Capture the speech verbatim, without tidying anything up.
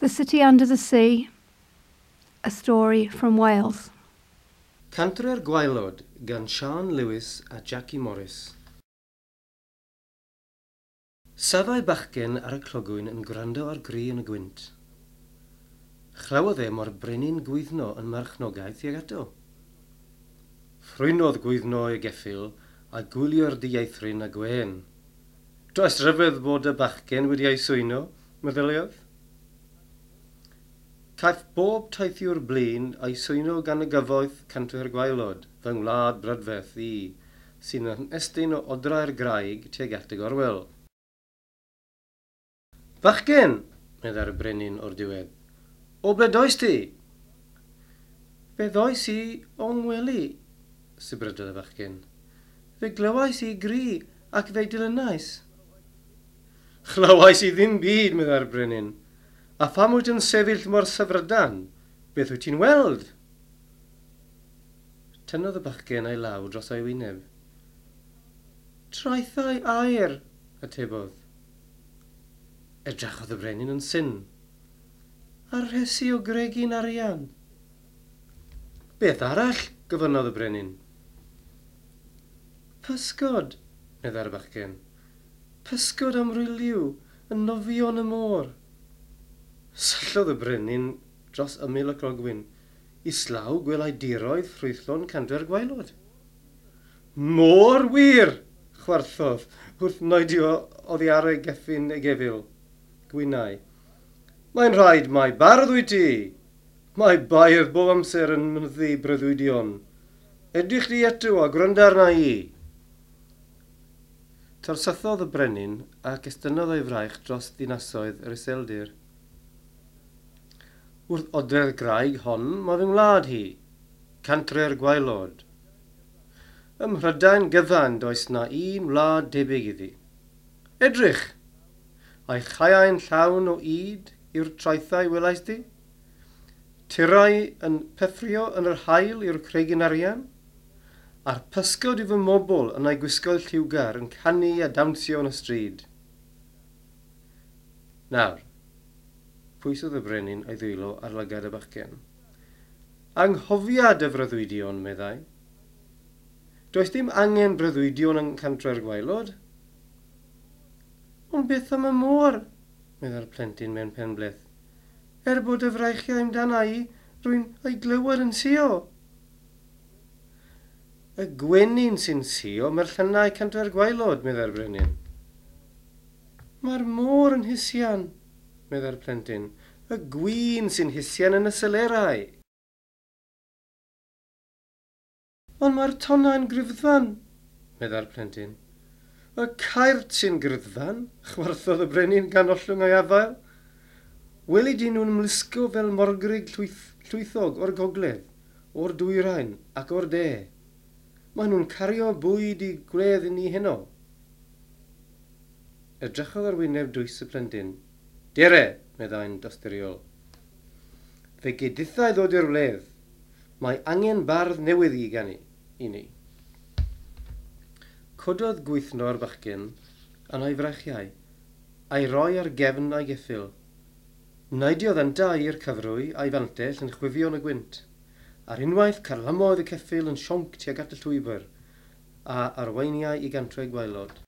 The City Under the Sea, a story from Wales. Cantre'r Gwaelod gan Siân Lewis a Jackie Morris. Safai bachgen ar y clogwyn yn gwrando ar gri yn y gwynt. Chlywodd e mo'r brenin Gwyddno yn marchnogaeth tuag ato. Ffrwynodd Gwyddno ei geffyl a gwylio'r dieithryn a gwên. Does ryfedd bod y bachgen wedi ei swyno, meddyliodd. Caiff bob teithiwr blin ei swyno gan y gyfoeth Cantre'r Gwaelod, fy ngwlad brydferth i, sy'n ymestyn o odrau'r graig tuag at y gorwel. Bachgen, meddai'r brenin o'r diwedd, o ble does ti? Fe ddois i o ngwely, sibrydodd y bachgen. Fe glywais i gri ac fe'i dilynais. Chlywais i ddim byd, meddai'r brenin. A pham wyt yn sefyll mor syfrdan? Beth wyt ti'n weld? Tynnodd y bachgen ei law dros ei wyneb. Traethau aur, atebodd. Edrychodd y brenin yn syn. A rhesi o gregyn arian. Beth arall, gofynnodd y brenin. Pysgod, meddai'r bachgen. Pysgod amryliw yn nofio yn y môr. Syllodd y brenin dros ymyl y clogwyn. Islaw gwelai diroedd ffrwythlon Cantre'r Gwaelod. Môr wir, chwerthodd, wrth neidio oddi ar ei geffyn ei gefyl. Gwinai. Mae'n rhaid mai bardd wyt ti. Mae beirdd bob amser yn mynyddu breuddwydion. Edrych di eto a gwrando arna i. Torsythodd y brenin ac estynnodd ei fraich dros ddinasoedd yr iseldir. Wrth odre'r graig hon mae fy ngwlad hi, Cantre'r Gwaelod. Ym Mhrydain gyfan does na un wlad debyg iddi. Edrych! A'i chaeau'n llawn o ŷd yw'r traethau welais di? Tirau yn pefrio yn yr haul yw'r cregyn arian? A'r pysgod yw fy mobl yn eu gwisgoedd lliwgar yn canu a dawnsio yn y stryd. Nawr, pwysodd y brenin ei ddwylo ar lygad y bachgen. Anghofia dy freuddwydion, meddai. Does dim angen breuddwydion yng Nghantre'r Gwaelod. Ond beth am y môr, meddai'r plentyn mewn penbleth. Er bod y freichiau amdana i, rwy'n ei glywed yn sïo. Y gwenyn sy'n sïo mae'r llannau Cantre'r Gwaelod, meddai'r brenin. Mae'r môr yn hisian, meddai'r plentyn. Y gwin sy'n hisian yn y selerau. Ond mae'r tonnau'n gryfddfan, meddai'r plentyn. Y cairt sy'n gryfddfan, chwerthodd y brenin gan ollwng ei afael. Weli di nhw'n ymlusgo fel morgrug llwyth, llwythog o'r gogledd, o'r dwyrain ac o'r de. Maen nhw'n cario bwyd i gwledd i ni heno. Edrychodd ar wyneb dwys y plentyn. Dere, meddai'n dosturiol. Fe gei dithau ddod i'r wledd. Mae angen bardd newydd i ganu i ni. Cododd Gwythno'r bachgen yn ei freichiau, a'i roi ar gefn a'i geffyl. Neidiodd yntau i'r cyfrwy a'i fantell yn chwifio yn y gwynt. Ar unwaith carlamodd y ceffyl yn sionc tuag at y llwybr, a arweiniai i Gantre'r Gwaelod.